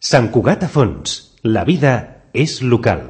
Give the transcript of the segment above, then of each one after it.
Sant Cugat a fons. La vida és local.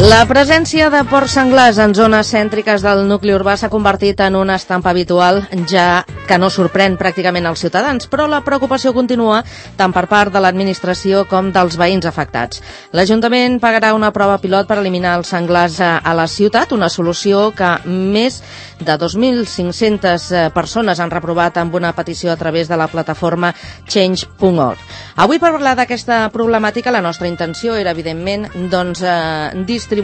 La presència de porcs senglars en zones cèntriques del nucli urbà s'ha convertit en una estampa habitual, ja que no sorprèn pràcticament als ciutadans, però la preocupació continua tant per part de l'administració com dels veïns afectats. L'Ajuntament pagarà una prova pilot per eliminar els senglars a la ciutat, una solució que més de 2.500 persones han reprovat amb una petició a través de la plataforma change.org. Avui, per parlar d'aquesta problemàtica, la nostra intenció era, evidentment, distribuir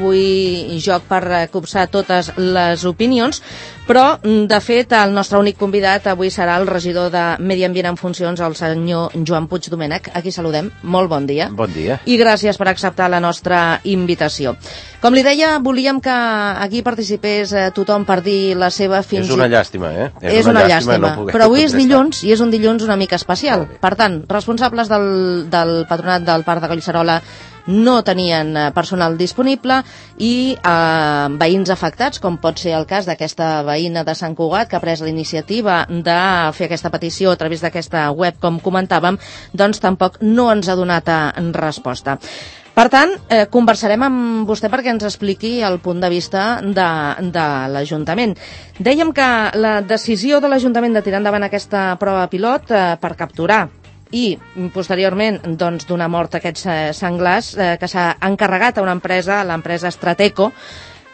joc per copsar totes les opinions, però, de fet, el nostre únic convidat avui serà el regidor de Medi Ambient en funcions, el senyor Joan Puig Domènech. Aquí saludem. Molt bon dia. Bon dia. I gràcies per acceptar la nostra invitació. Com li deia, volíem que aquí participés tothom per dir la seva fins... És una llàstima, eh? És una llàstima. Però avui és dilluns i és un dilluns una mica especial. Per tant, responsables del patronat del Parc de Collserola no tenien personal disponible i veïns afectats, com pot ser el cas d'aquesta veïna de Sant Cugat que ha pres la iniciativa de fer aquesta petició a través d'aquesta web, com comentàvem, doncs tampoc no ens ha donat resposta. Per tant, conversarem amb vostè perquè ens expliqui el punt de vista de l'Ajuntament. Dèiem que la decisió de l'Ajuntament de tirar endavant aquesta prova pilot per capturar i posteriorment doncs, donar mort a aquests senglars que s'ha encarregat a una empresa, l'empresa Strateco,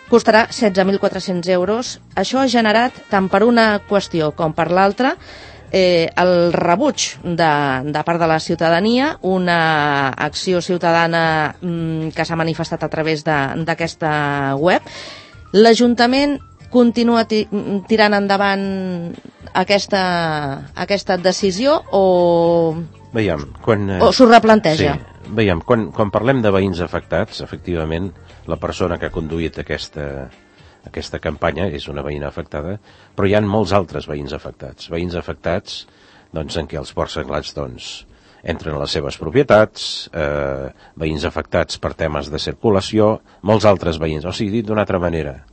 costarà 16.400 euros. Això ha generat, tant per una qüestió com per l'altra, el rebuig de part de la ciutadania, una acció ciutadana que s'ha manifestat a través d'aquesta web. L'Ajuntament continua tirant endavant aquesta decisió o s'ho replanteja? Sí, veiem, quan parlem de veïns afectats, efectivament, la persona que ha conduït aquesta campanya és una veïna afectada, però hi ha molts altres veïns afectats doncs, en què els porcs senglars entren a les seves propietats, veïns afectats per temes de circulació, molts altres veïns. O sigui, dit d'una altra manera,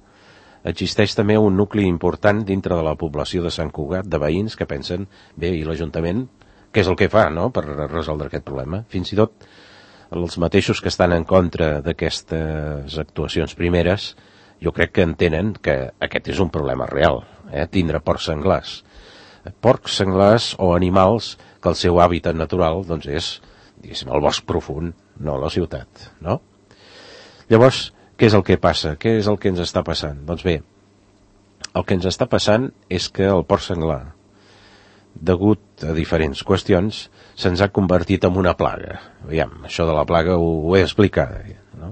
existeix també un nucli important dintre de la població de Sant Cugat, de veïns que pensen, bé, i l'Ajuntament, què és el que fa, no?, per resoldre aquest problema? Fins i tot els mateixos que estan en contra d'aquestes actuacions primeres, jo crec que entenen que aquest és un problema real, tindre porcs senglars. Porcs senglars o animals que el seu hàbitat natural doncs és, diguéssim, el bosc profund, no la ciutat, no? Llavors, què és el que passa? Què és el que ens està passant? Doncs bé, el que ens està passant és que el porc senglar, degut a diferents qüestions, se'ns ha convertit en una plaga. Aviam, això de la plaga ho he explicat, no?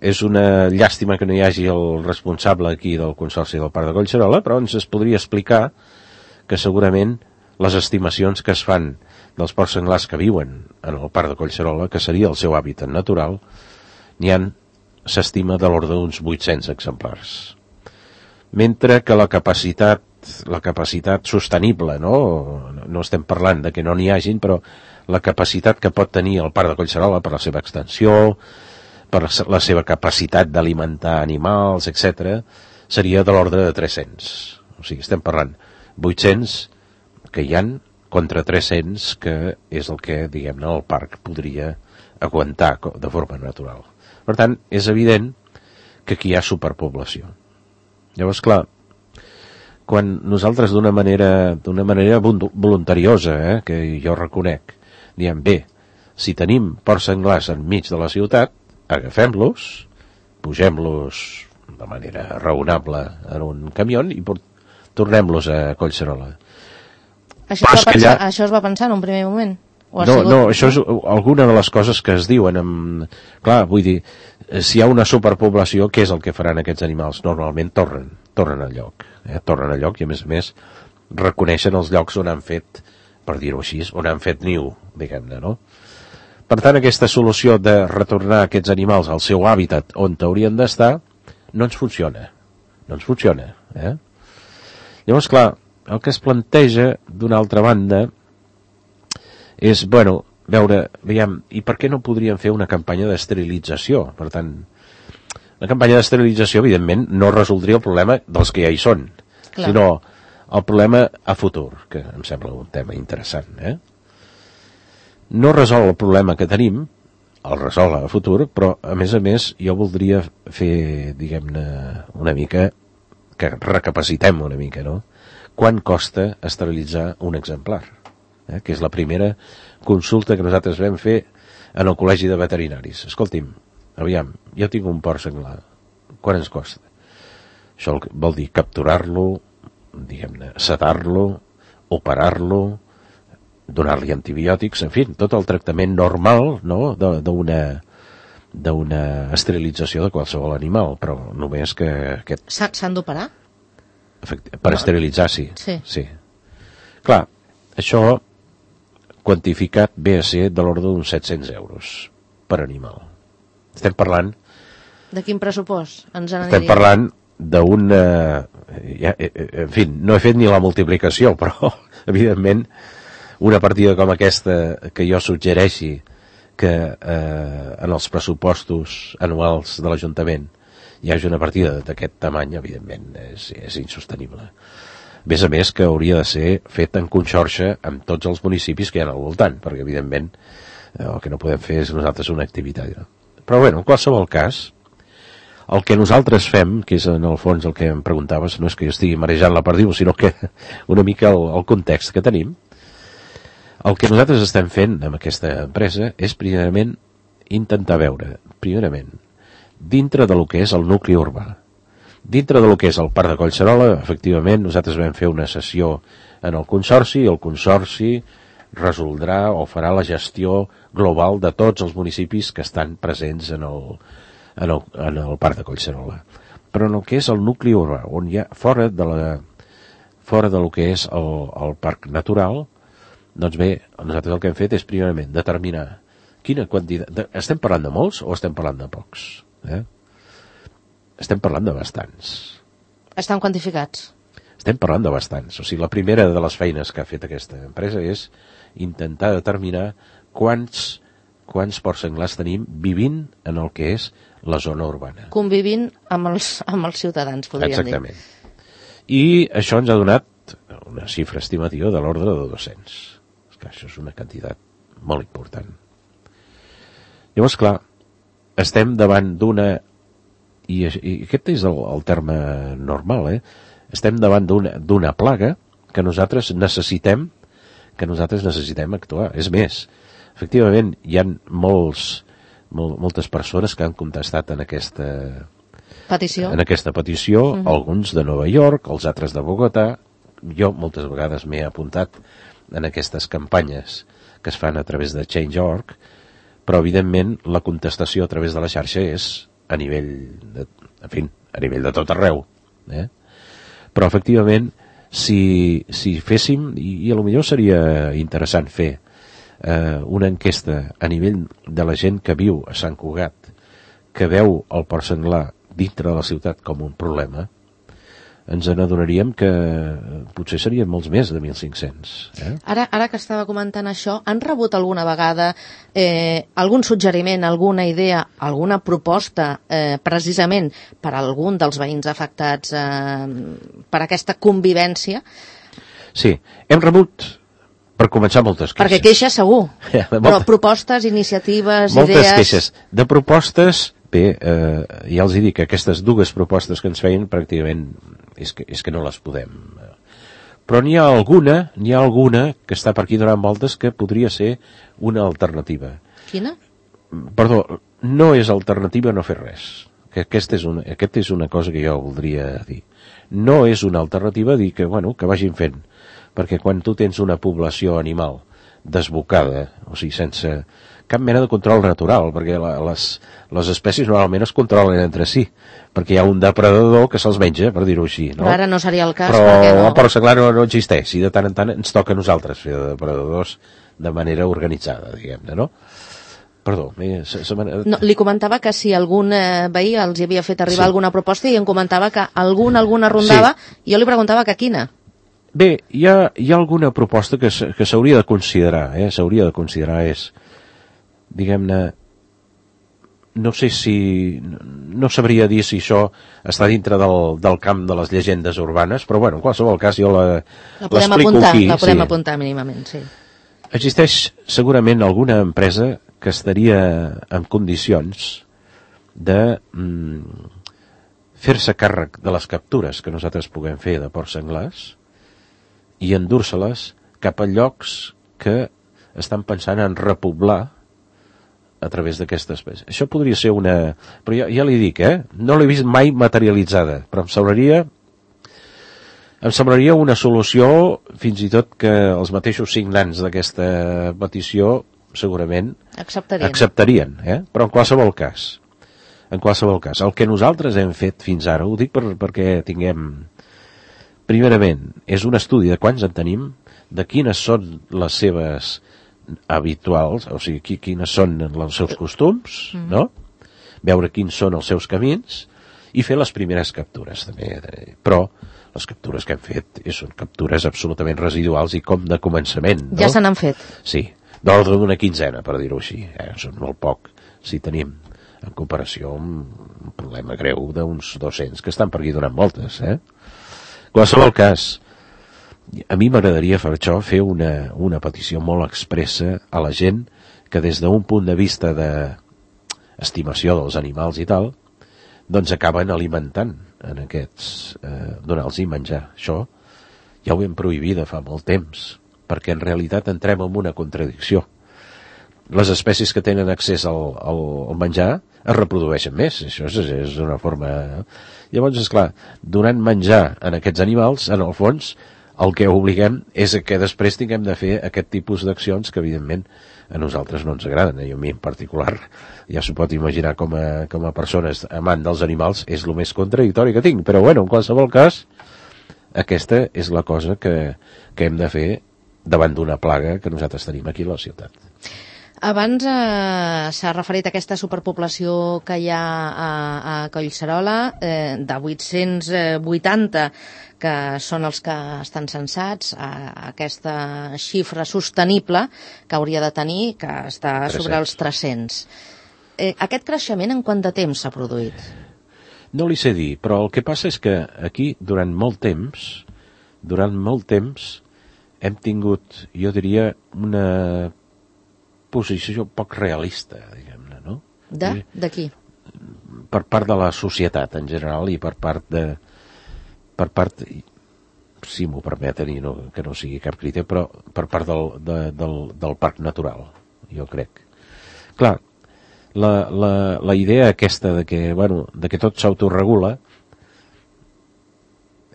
És una llàstima que no hi hagi el responsable aquí del Consorci del Parc de Collserola, però ens es podria explicar que segurament les estimacions que es fan dels porcs senglars que viuen en el Parc de Collserola, que seria el seu hàbitat natural, s'estima de l'ordre d'uns 800 exemplars. Mentre que la capacitat sostenible, no estem parlant de que no n'hi hagin, però la capacitat que pot tenir el Parc de Collserola per la seva extensió, per la seva capacitat d'alimentar animals, etc., seria de l'ordre de 300. O sigui, estem parlant 800 que hi han contra 300 que és el que, diguem-ne, el parc podria aguantar de forma natural. Per tant, és evident que aquí hi ha superpoblació. Llavors, clar, quan nosaltres d'una manera voluntariosa, que jo reconec, diem, bé, si tenim porcs senglars enmig de la ciutat, agafem-los, pugem-los de manera raonable en un camió i tornem-los a Collserola. Això es va pensar en un primer moment? No, això és alguna de les coses que es diuen. Clar, vull dir, si hi ha una superpoblació, què és el que faran aquests animals? Normalment tornen al lloc. Tornen al lloc i, a més, reconeixen els llocs on han fet, per dir-ho així, on han fet niu, diguem-ne, no? Per tant, aquesta solució de retornar aquests animals al seu hàbitat on haurien d'estar no ens funciona. Llavors, clar, el que es planteja, d'una altra banda, és, veure, veiem, i per què no podríem fer una campanya d'esterilització? Per tant, la campanya d'esterilització, evidentment, no resoldria el problema dels que ja hi són, sinó el problema a futur, que em sembla un tema interessant. No resol el problema que tenim, el resol a futur, però, a més, jo voldria fer, diguem-ne, una mica, que recapacitem una mica, no? Quant costa esterilitzar un exemplar? Que és la primera consulta que nosaltres vam fer en el Col·legi de Veterinaris. Escolti'm, aviam, jo tinc un porc senglar, quan ens costa? Això vol dir capturar-lo, diguem-ne, sedar-lo, operar-lo, donar-li antibiòtics, en fi, tot el tractament normal, no?, d'una esterilització de qualsevol animal, però només que aquest... S'han d'operar? Per esterilitzar, sí. Sí. Clar, això quantificat ve a ser de l'ordre d'uns 700 euros per animal. Estem parlant... De quin pressupost ens n'aniria? Estem parlant d'una... En fi, no he fet ni la multiplicació, però, evidentment, una partida com aquesta que jo suggereixi que en els pressupostos anuals de l'Ajuntament hi hagi una partida d'aquest tamany, evidentment, és insostenible. A més que hauria de ser fet en conxorxa amb tots els municipis que hi ha al voltant, perquè, evidentment, el que no podem fer és nosaltres una activitat. Però, bueno, en qualsevol cas, el que nosaltres fem, que és en el fons el que em preguntaves, no és que jo estigui marejant la perdiu, sinó que una mica el context que tenim, el que nosaltres estem fent amb aquesta empresa és, primerament, intentar veure, dintre de lo que és el nucli urbà, dintre de lo que és el Parc de Collserola, efectivament, nosaltres vam fer una sessió en el Consorci, i el Consorci resoldrà o farà la gestió global de tots els municipis que estan presents en el Parc de Collserola. Però en el que és el nucli urbà, on hi ha fora de lo que és el Parc Natural, doncs bé, nosaltres el que hem fet és, primerament, determinar quina quantitat... Estem parlant de molts o estem parlant de pocs? Estem parlant de bastants. Estan quantificats? Estem parlant de bastants. O sigui, la primera de les feines que ha fet aquesta empresa és intentar determinar quants porcs senglars tenim vivint en el que és la zona urbana. Convivint amb els ciutadans, podríem dir. Exactament. I això ens ha donat una xifra estimativa de l'ordre de 200. Clar, això és una quantitat molt important. Llavors, clar, estem davant d'una... I aquest és el terme normal, Estem davant d'una plaga que nosaltres necessitem actuar. És més, efectivament, hi ha moltes persones que han contestat en aquesta petició, alguns de Nova York, els altres de Bogotà. Jo moltes vegades m'he apuntat en aquestes campanyes que es fan a través de Change.org, però evidentment la contestació a través de la xarxa és a nivell de tot arreu. Però efectivament, si féssim, i potser seria interessant fer una enquesta a nivell de la gent que viu a Sant Cugat, que veu el porc senglar dintre de la ciutat com un problema, ens n'adonaríem que potser serien molts més de 1.500. Ara que estava comentant això, han rebut alguna vegada algun suggeriment, alguna idea, alguna proposta precisament per a algun dels veïns afectats per aquesta convivència? Sí, hem rebut, per començar, moltes queixes. Perquè queixes segur, però propostes, iniciatives, moltes idees... Moltes queixes. De propostes, bé, ja els dic que aquestes dues propostes que ens feien pràcticament és que no les podem. Però n'hi ha alguna que està per aquí donant voltes que podria ser una alternativa. Quina? Perdó, no és alternativa no fer res. Aquesta és una cosa que jo voldria dir. No és una alternativa dir que vagin fent, perquè quan tu tens una població animal desbocada, o sigui, sense cap mena de control natural, perquè les espècies normalment es controlen entre si, perquè hi ha un depredador que se'ls menja, per dir-ho així. No? Però ara no seria el cas, però perquè no... el porc senglar no existeix, i de tant en tant ens toca a nosaltres fer de depredadors de manera organitzada, diguem-ne, no? Perdó. No, li comentava que si algun veí els hi havia fet arribar alguna proposta i em comentava que alguna rondava, i jo li preguntava que quina. Bé, hi ha alguna proposta que s'hauria de considerar, s'hauria de considerar, és diguem-ne, no sé si... no sabria dir si això està dintre del camp de les llegendes urbanes, però bueno, en qualsevol cas jo l'explico aquí. La podem apuntar mínimament, sí. Existeix segurament alguna empresa que estaria en condicions de fer-se càrrec de les captures que nosaltres puguem fer de porcs senglars i endur-se-les cap a llocs que estan pensant en repoblar a través d'aquesta espècie. Això podria ser una... Però ja li dic, no l'he vist mai materialitzada, però em semblaria una solució, fins i tot que els mateixos signants d'aquesta petició segurament acceptarien, però en qualsevol cas, el que nosaltres hem fet fins ara, ho dic perquè tinguem, primerament, és un estudi de quants en tenim, de quines són les seves habituals, o sigui, quines són els seus costums, no? Veure quins són els seus camins i fer les primeres captures, també. Però les captures que hem fet són captures absolutament residuals i com de començament, no? Ja se n'han fet. Sí, d'ordre d'una quinzena, per dir-ho així. Són molt poc, si tenim en comparació amb un problema greu d'uns 200 que estan per aquí donant voltes, En qualsevol cas, a mi m'agradaria per això fer una petició molt expressa a la gent que des d'un punt de vista d'estimació dels animals i tal, doncs acaben alimentant en aquests, donar-los menjar. Això ja ho hem prohibit de fa molt temps, perquè en realitat entrem en una contradicció. Les espècies que tenen accés al menjar es reprodueixen més, això és una forma... Llavors, esclar, donant menjar en aquests animals, en el fons, el que obliguem és que després tinguem de fer aquest tipus d'accions que, evidentment, a nosaltres no ens agraden, i a mi en particular, ja s'ho pot imaginar com a persones amant dels animals, és el més contradictori que tinc, però bueno, en qualsevol cas, aquesta és la cosa que hem de fer davant d'una plaga que nosaltres tenim aquí a la ciutat. Abans s'ha referit a aquesta superpoblació que hi ha a Collserola, de 880 que són els que estan censats, a aquesta xifra sostenible que hauria de tenir, que està sobre els 300. Aquest creixement en quant de temps s'ha produït? No li sé dir, però el que passa és que aquí, durant molt temps, hem tingut, jo diria, una posició poc realista, diguem-ne, no? De qui? Per part de la societat en general i per part, si m'ho permeten i que no sigui cap crític, però per part del parc natural, jo crec. Clar, la idea aquesta de que tot s'autoregula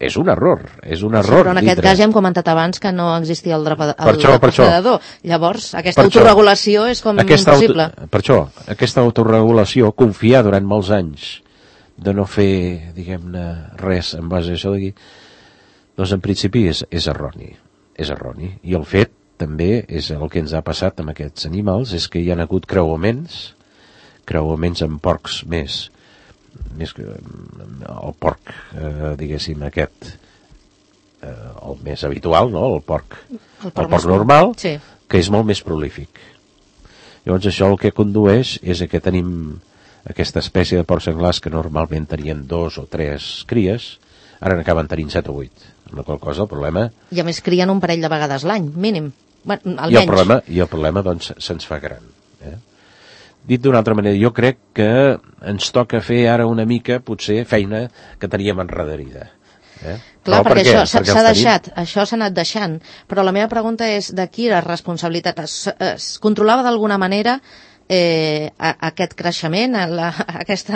és un error. Però en aquest cas ja hem comentat abans que no existia el depredador. Llavors, aquesta autorregulació és com impossible. Per això, aquesta autorregulació, confiar durant molts anys de no fer, diguem-ne, res en base a això d'aquí, doncs en principi és erroni. És erroni. I el fet, també, és el que ens ha passat amb aquests animals, és que hi ha hagut creuaments amb porcs més que el porc, diguéssim, aquest, el més habitual, no? El porc normal, sí, que és molt més prolífic. Llavors això el que condueix és que tenim aquesta espècie de porcs senglars que normalment tenien 2 o 3 cries, ara n'acaben tenint 7 o 8, amb la qual cosa el problema... I a més crien un parell de vegades l'any, mínim, almenys. I el problema doncs, se'ns fa gran. Dit d'una altra manera, jo crec que ens toca fer ara una mica, potser, feina que teníem enrederida. Clar, perquè això s'ha deixat, això s'ha anat deixant, però la meva pregunta és de qui era responsabilitat? Es controlava d'alguna manera aquest creixement, aquest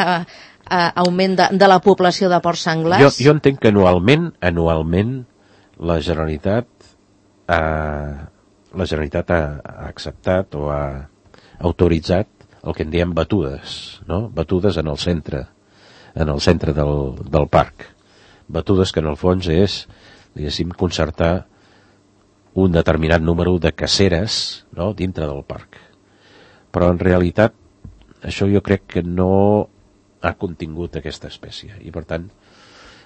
augment de la població de porcs senglars? Jo entenc que anualment la Generalitat ha acceptat o ha autoritzat el que en diem batudes, no? Batudes en el centre del parc. Batudes que en el fons és, diguéssim, concertar un determinat número de caceres, no?, dintre del parc. Però en realitat això jo crec que no ha contingut aquesta espècie i per tant,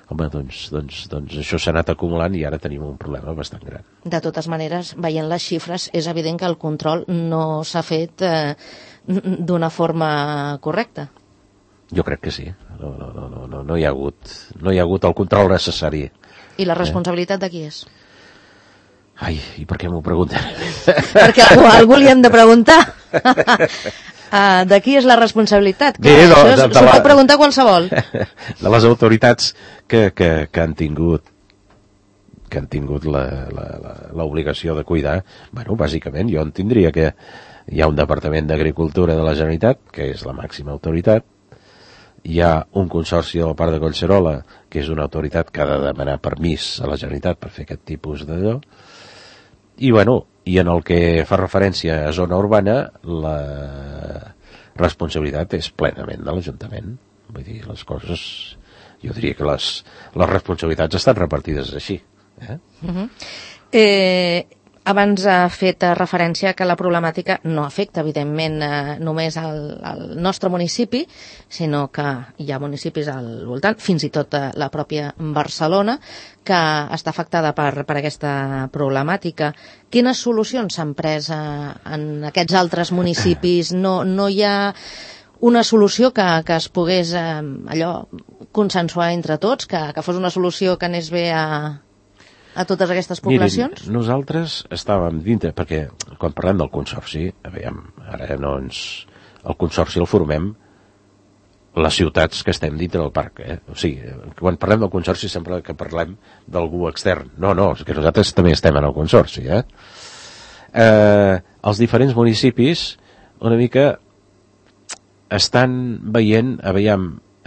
home, doncs això s'ha anat acumulant i ara tenim un problema bastant gran. De totes maneres, veient les xifres, és evident que el control no s'ha fet d'una forma correcta. Jo crec que sí. No hi ha hagut el control necessari. I la responsabilitat de qui és? Ai, i per què m'ho pregunten? Perquè a algú li hem de preguntar. De qui és la responsabilitat? S'ho pot preguntar qualsevol. De les autoritats que han tingut l'obligació de cuidar. Bueno, bàsicament, jo entendria que hi ha un Departament d'Agricultura de la Generalitat, que és la màxima autoritat, hi ha un consorci del Parc de Collserola, que és una autoritat que ha de demanar permís a la Generalitat per fer aquest tipus d'allò, i bueno, i en el que fa referència a zona urbana, la responsabilitat és plenament de l'Ajuntament. Vull dir, les coses, jo diria que les responsabilitats estan repartides així. Abans ha fet referència que la problemàtica no afecta, evidentment, només al nostre municipi, sinó que hi ha municipis al voltant, fins i tot la pròpia Barcelona, que està afectada per aquesta problemàtica. Quines solucions s'han pres en aquests altres municipis? No hi ha una solució que es pogués consensuar entre tots, que fos una solució que anés bé a totes aquestes poblacions? Mirin, nosaltres estàvem dintre, perquè quan parlem del consorci, ara el consorci el formem les ciutats que estem dintre del parc. O sigui, quan parlem del consorci sempre que parlem d'algú extern. No, és que nosaltres també estem en el consorci. Els diferents municipis una mica estan veient,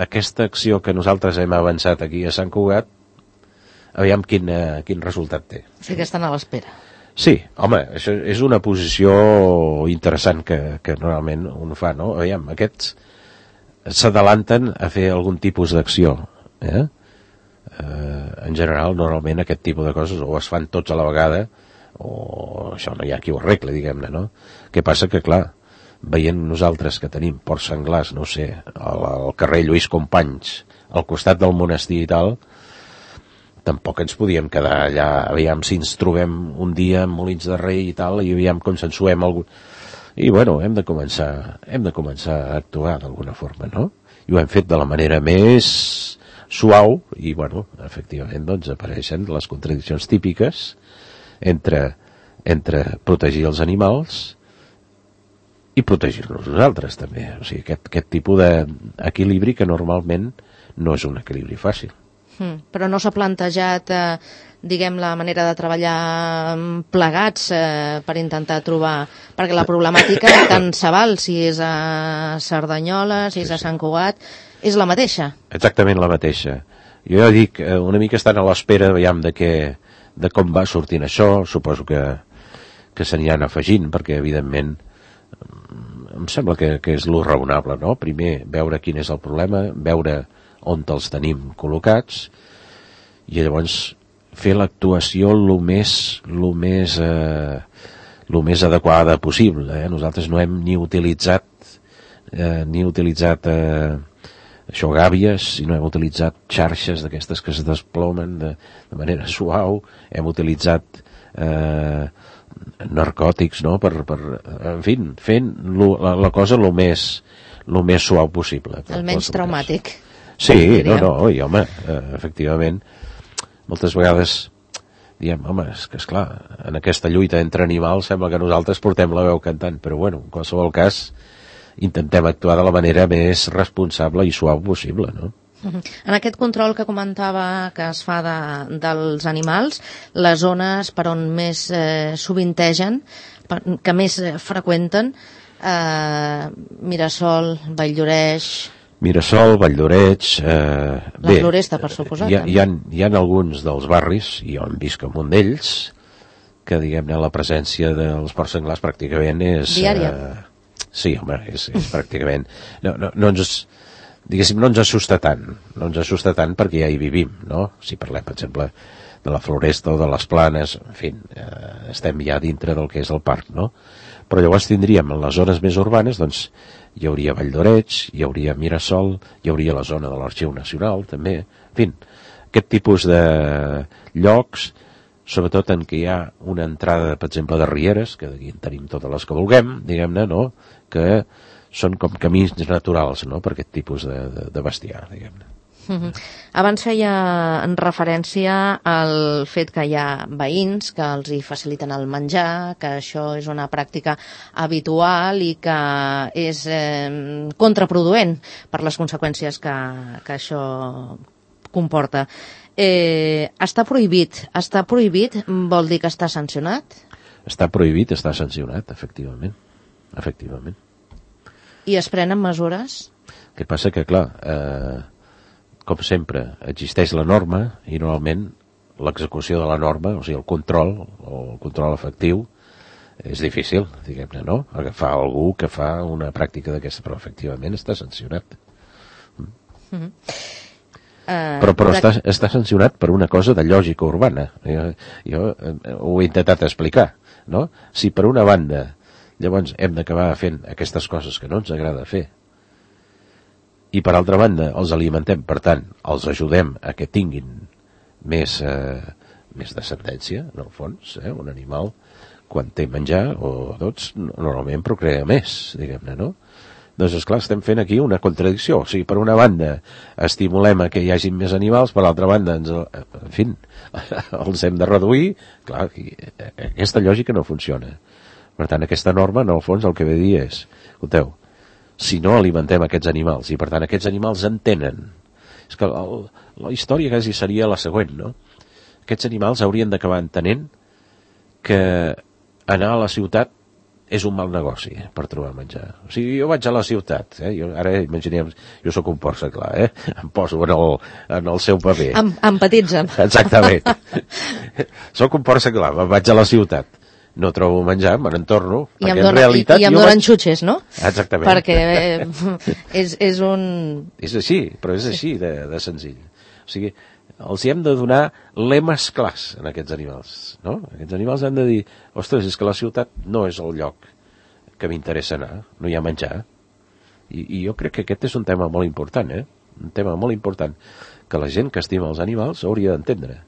aquesta acció que nosaltres hem avançat aquí a Sant Cugat, aviam quin resultat té. O sigui que estan a l'espera. Sí, home, això és una posició interessant que normalment un fa, no? Aviam, aquests s'adalanten a fer algun tipus d'acció. En general, normalment aquest tipus de coses o es fan tots a la vegada o això no hi ha qui ho arregla, diguem-ne, no? Què passa? Que, clar, veient nosaltres que tenim ports senglars, no sé, al carrer Lluís Companys, al costat del monestir i tal, tampoc ens podíem quedar allà, aviam si ens trobem un dia en Molins de Rei i tal, i aviam consensuem algun... I bueno, hem de començar a actuar d'alguna forma, no? I ho hem fet de la manera més suau, i bueno, efectivament, doncs apareixen les contradiccions típiques entre protegir els animals i protegir-nos nosaltres també. O sigui, aquest tipus d'equilibri que normalment no és un equilibri fàcil. Però no s'ha plantejat, diguem, la manera de treballar plegats per intentar trobar... Perquè la problemàtica tant se val si és a Cerdanyola, si és a Sant Cugat, és la mateixa. Exactament la mateixa. Jo ja dic, una mica estan a l'espera, veiem, de com va sortint això. Suposo que se n'hi han afegint, perquè evidentment em sembla que és lo raonable, no? Primer, veure quin és el problema, veure on els tenim col·locats i llavors fer l'actuació lo més adequada possible. Nosaltres no hem ni utilitzat això, gàbies, sinó hem utilitzat xarxes d'aquestes que es desplomen de manera suau, hem utilitzat narcòtics, no? En fi, fent la cosa lo més suau possible. El menys traumàtic. Sí, no, i home, efectivament, moltes vegades diem, home, és que esclar, en aquesta lluita entre animals sembla que nosaltres portem la veu cantant, però bueno, en qualsevol cas intentem actuar de la manera més responsable i suau possible, no? En aquest control que comentava que es fa dels animals, les zones per on més sovintegen, que més freqüenten, Mirasol, Valldoreix... Mirasol, Valldoreix... La Floresta, per suposat. Hi ha alguns dels barris, i jo en visc en un d'ells, que, diguem-ne, la presència dels porcs senglars pràcticament és... Diària. Sí, home, és pràcticament... No ens assusta tant perquè ja hi vivim, no? Si parlem, per exemple, de la Floresta o de les Planes, en fi, estem ja dintre del que és el parc, no? Però llavors tindríem en les zones més urbanes, doncs, hi hauria Valldoreix, hi hauria Mirasol, hi hauria la zona de l'Arxiu Nacional, també. En fi, aquest tipus de llocs sobretot en què hi ha una entrada, per exemple, de rieres, que d'aquí en tenim totes les que vulguem, diguem-ne, no? Que són com camins naturals, no?, per aquest tipus de bestiar, diguem-ne. Abans feia en referència al fet que hi ha veïns que els hi faciliten el menjar, que això és una pràctica habitual i que és contraproduent per les conseqüències que això comporta. Està prohibit vol dir que està sancionat? Està prohibit, està sancionat, efectivament. I es prenen mesures? El que passa que, clar, com sempre, existeix la norma i normalment l'execució de la norma, o sigui, el control efectiu, és difícil, diguem-ne, no? Agafar algú que fa una pràctica d'aquesta, però efectivament està sancionat. Però està sancionat per una cosa de lògica urbana. Jo ho he intentat explicar, no? Si per una banda llavors hem d'acabar fent aquestes coses que no ens agrada fer, i per altra banda els alimentem, per tant els ajudem a que tinguin més descendència, en el fons, un animal quan té menjar o tots normalment procrea més, diguem-ne, no? Doncs esclar, estem fent aquí una contradicció, o sigui, per una banda estimulem a que hi hagi més animals, per l'altra banda els hem de reduir. Clar, aquesta lògica no funciona. Per tant, aquesta norma en el fons el que ve a dir és, escolteu, si no alimentem aquests animals, i per tant aquests animals entenen, és que la història quasi seria la següent, no? Aquests animals haurien d'acabar entenent que anar a la ciutat és un mal negoci per trobar menjar. O sigui, jo vaig a la ciutat, ara imaginem, jo sóc un porc clar, em poso en el seu paper. Empatitza'm. Exactament. Sóc un porc clar, vaig a la ciutat, no trobo menjar, me n'entorno, perquè en realitat... I em donen xutxes, no? Exactament. Perquè és un... És així, però és així de senzill. O sigui, els hi hem de donar lemes clars en aquests animals, no? Aquests animals han de dir, ostres, és que la ciutat no és el lloc que m'interessa anar, no hi ha menjar. I jo crec que aquest és un tema molt important, un tema molt important, que la gent que estima els animals hauria d'entendre.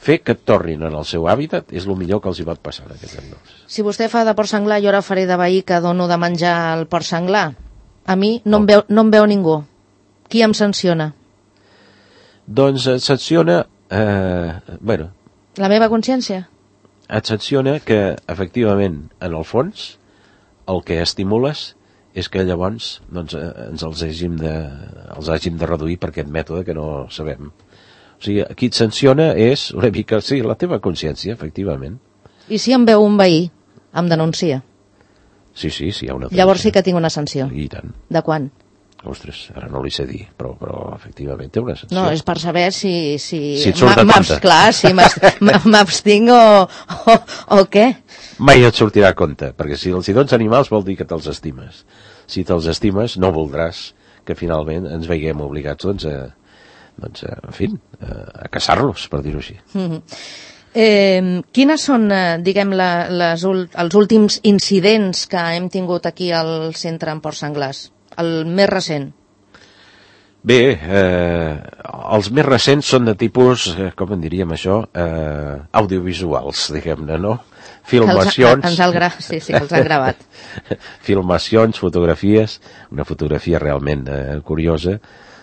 Fer que et tornin en el seu hàbitat és el millor que els hi pot passar a aquests animals. Si vostè fa de porc senglar, jo ara faré de veí que dono de menjar al porc senglar. A mi no em veu ningú. Qui em sanciona? Doncs et sanciona... La meva consciència? Et sanciona que, efectivament, en el fons, el que estimules és que llavors ens els hàgim de reduir per aquest mètode que no sabem. O sigui, qui et sanciona és una mica, sí, la teva consciència, efectivament. I si em veu un veí, em denuncia? Sí, hi ha una denúncia. Llavors sí que tinc una sanció. I tant. De quan? Ostres, ara no li sé dir, però efectivament té una sanció. No, és per saber si et surt a compte. Clar, si m'abstinc o què? Mai et sortirà a compte, perquè si els hi dones animals vol dir que te'ls estimes. Si te'ls estimes, no voldràs que finalment ens veiem obligats, a caçar-los, per dir-ho així. Quines són, diguem, els últims incidents que hem tingut aquí al centre en porcs senglars? El més recent? Bé, els més recents són de tipus, com en diríem això, audiovisuals, diguem-ne, no? Filmacions... Sí, els han gravat. Filmacions, fotografies, una fotografia realment curiosa,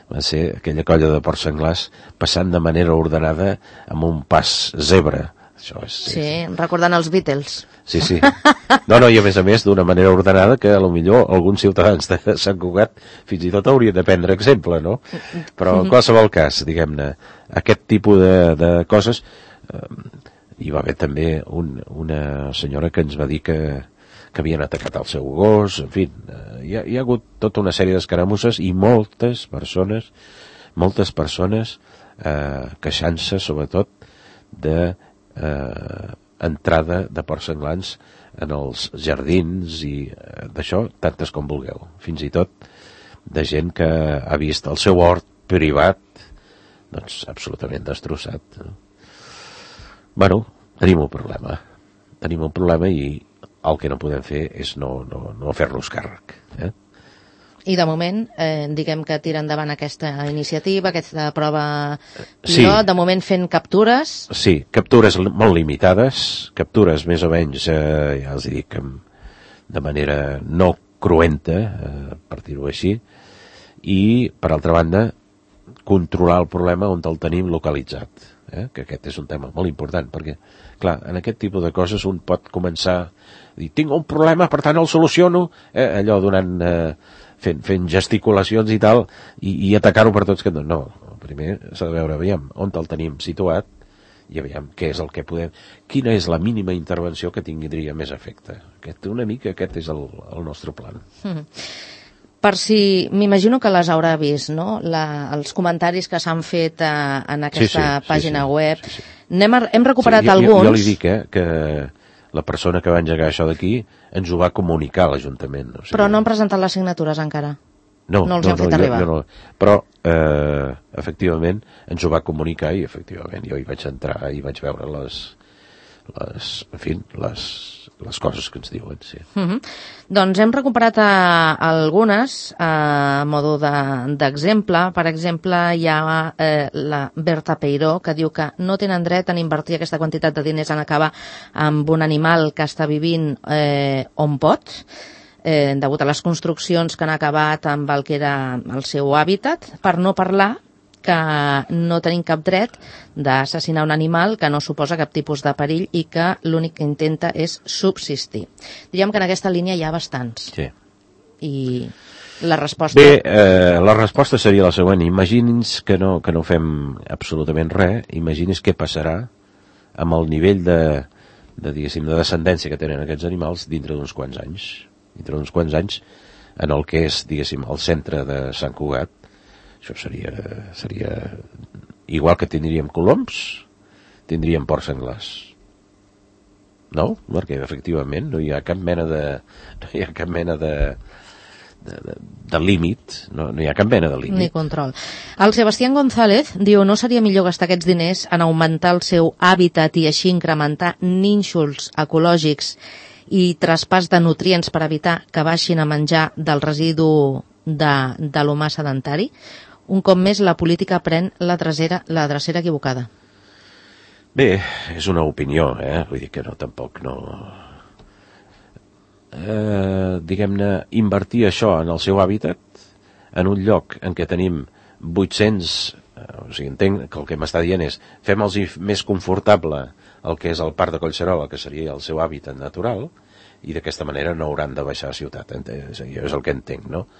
va ser aquella colla de porcs senglars passant de manera ordenada amb un pas zebra. Això sí, recordant els Beatles. Sí. No, i a més d'una manera ordenada que potser alguns ciutadans de Sant Cugat fins i tot haurien de prendre exemple, no? Però en qualsevol cas, diguem-ne, aquest tipus de coses... Hi va haver també una senyora que ens va dir que havien atacat el seu gos, en fi, hi ha hagut tota una sèrie d'escaramusses i moltes persones queixant-se sobretot de entrada de porcs senglars en els jardins i d'això, tantes com vulgueu, fins i tot de gent que ha vist el seu hort privat doncs absolutament destrossat. Bueno, tenim un problema i el que no podem fer és no fer-nos càrrec. I de moment, diguem que tira endavant aquesta iniciativa, aquesta prova pilot, de moment fent captures. Sí, captures molt limitades, captures més o menys, ja els dic, de manera no cruenta, per dir-ho així, i, per altra banda, controlar el problema on el tenim localitzat, que aquest és un tema molt important, perquè, clar, en aquest tipus de coses un pot començar a dir, tinc un problema, per tant el soluciono, allò donant... fent gesticulacions i tal, i atacar-ho per tots. No, primer s'ha de veure, aviam, on el tenim situat, i aviam què és el que podem... Quina és la mínima intervenció que tindria més efecte. Una mica aquest és el nostre plan. Per si... M'imagino que les haurà vist, no? Els comentaris que s'han fet en aquesta pàgina web. Sí. Hem recuperat alguns. Jo li dic, que la persona que va engegar això d'aquí ens ho va comunicar a l'Ajuntament. O sigui, però no han presentat les signatures encara? No els han fet arribar? No. Però, efectivament, ens ho va comunicar i, efectivament, jo hi vaig entrar i vaig veure les coses que ens diuen, sí. Doncs hem recuperat algunes a modo d'exemple. Per exemple, hi ha la Berta Peiró, que diu que no tenen dret a invertir aquesta quantitat de diners en acabar amb un animal que està vivint on pot, degut a les construccions que han acabat amb el que era el seu hàbitat, per no parlar que no tenim cap dret d'assassinar un animal que no suposa cap tipus de perill i que l'únic que intenta és subsistir. Diríem que en aquesta línia hi ha bastants. Sí. I la resposta... Bé, la resposta seria la següent. Imagini's que no fem absolutament res. Imagini's què passarà amb el nivell de descendència que tenen aquests animals dintre d'uns quants anys. Dintre d'uns quants anys, en el que és, diguéssim, el centre de Sant Cugat. Això seria igual que tindríem coloms, tindríem porcs senglars. No? Perquè, efectivament, no hi ha cap mena de límit, no hi ha cap mena de límit. Ni control. El Sebastián González diu, no seria millor gastar aquests diners en augmentar el seu hàbitat i així incrementar nínxols ecològics i traspàs de nutrients per evitar que baixin a menjar del residu de l'humà sedentari? Un cop més, la política pren la drecera equivocada. Bé, és una opinió, vull dir que tampoc no... diguem-ne, invertir això en el seu hàbitat, en un lloc en què tenim 800... o sigui, entenc que el que m'està dient és fem-los més confortable el que és el Parc de Collserola, que seria el seu hàbitat natural, i d'aquesta manera no hauran de baixar a ciutat. És el que entenc, no?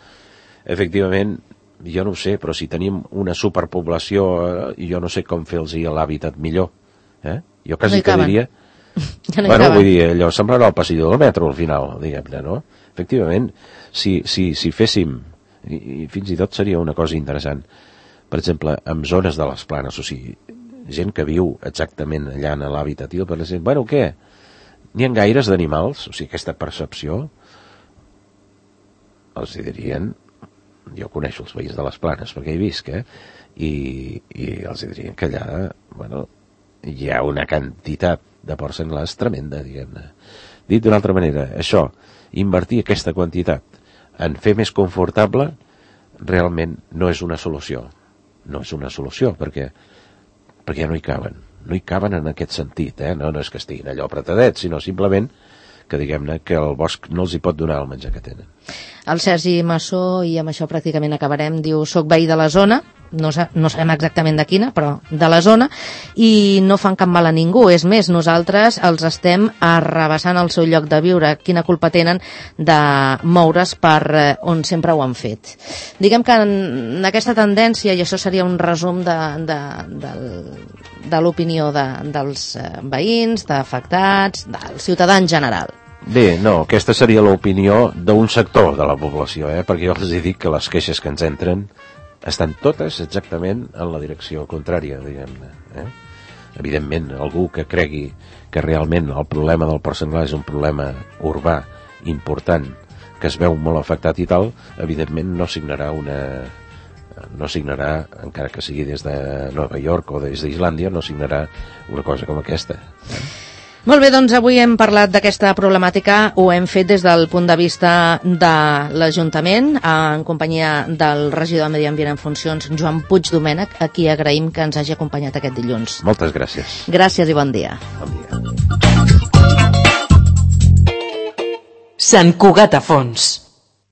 Efectivament, jo no ho sé, però si tenim una superpoblació, jo no sé com fer-los l'hàbitat millor. Jo quasi que diria... Bueno, vull dir, allò semblarà el passador del metro al final, diguem-ne, no? Efectivament, si féssim, i fins i tot seria una cosa interessant, per exemple, en zones de les planes, o sigui, gent que viu exactament allà en l'hàbitat, i per exemple, bueno, què? N'hi ha gaires d'animals, o sigui, aquesta percepció, els dirien... Jo coneixo els veïns de les Planes perquè hi visc, i els dirien que allà, bueno, hi ha una quantitat de porcs senglars tremenda, diguem-ne. Dit d'una altra manera, això, invertir aquesta quantitat en fer més confortable, realment no és una solució. No és una solució, perquè no hi caben. No hi caben en aquest sentit, no és que estiguin allò apretadets, sinó simplement que, diguem-ne, que el bosc no els hi pot donar el menjar que tenen. El Sergi Massó, i amb això pràcticament acabarem, diu, soc veí de la zona, no sabem exactament de quina, però de la zona, i no fan cap mal a ningú. És més, nosaltres els estem arrabassant el seu lloc de viure. Quina culpa tenen de moure's per on sempre ho han fet? Diguem que en aquesta tendència, i això seria un resum de l'opinió dels veïns, d'afectats, del ciutadà en general. Bé, no, aquesta seria l'opinió d'un sector de la població, perquè jo els dic que les queixes que ens entren estan totes exactament en la direcció contrària, diguem-ne. Evidentment, algú que cregui que realment el problema del porc senglar és un problema urbà important, que es veu molt afectat i tal, evidentment no signarà, encara que sigui des de Nova York o des d'Islàndia, no signarà una cosa com aquesta. Molt bé, doncs avui hem parlat d'aquesta problemàtica, ho hem fet des del punt de vista de l'Ajuntament, en companyia del regidor de Medi Ambient en funcions, Joan Puig Domènech, a qui agraïm que ens hagi acompanyat aquest dilluns. Moltes gràcies. Gràcies i bon dia. Bon dia. Sant Cugat a fons.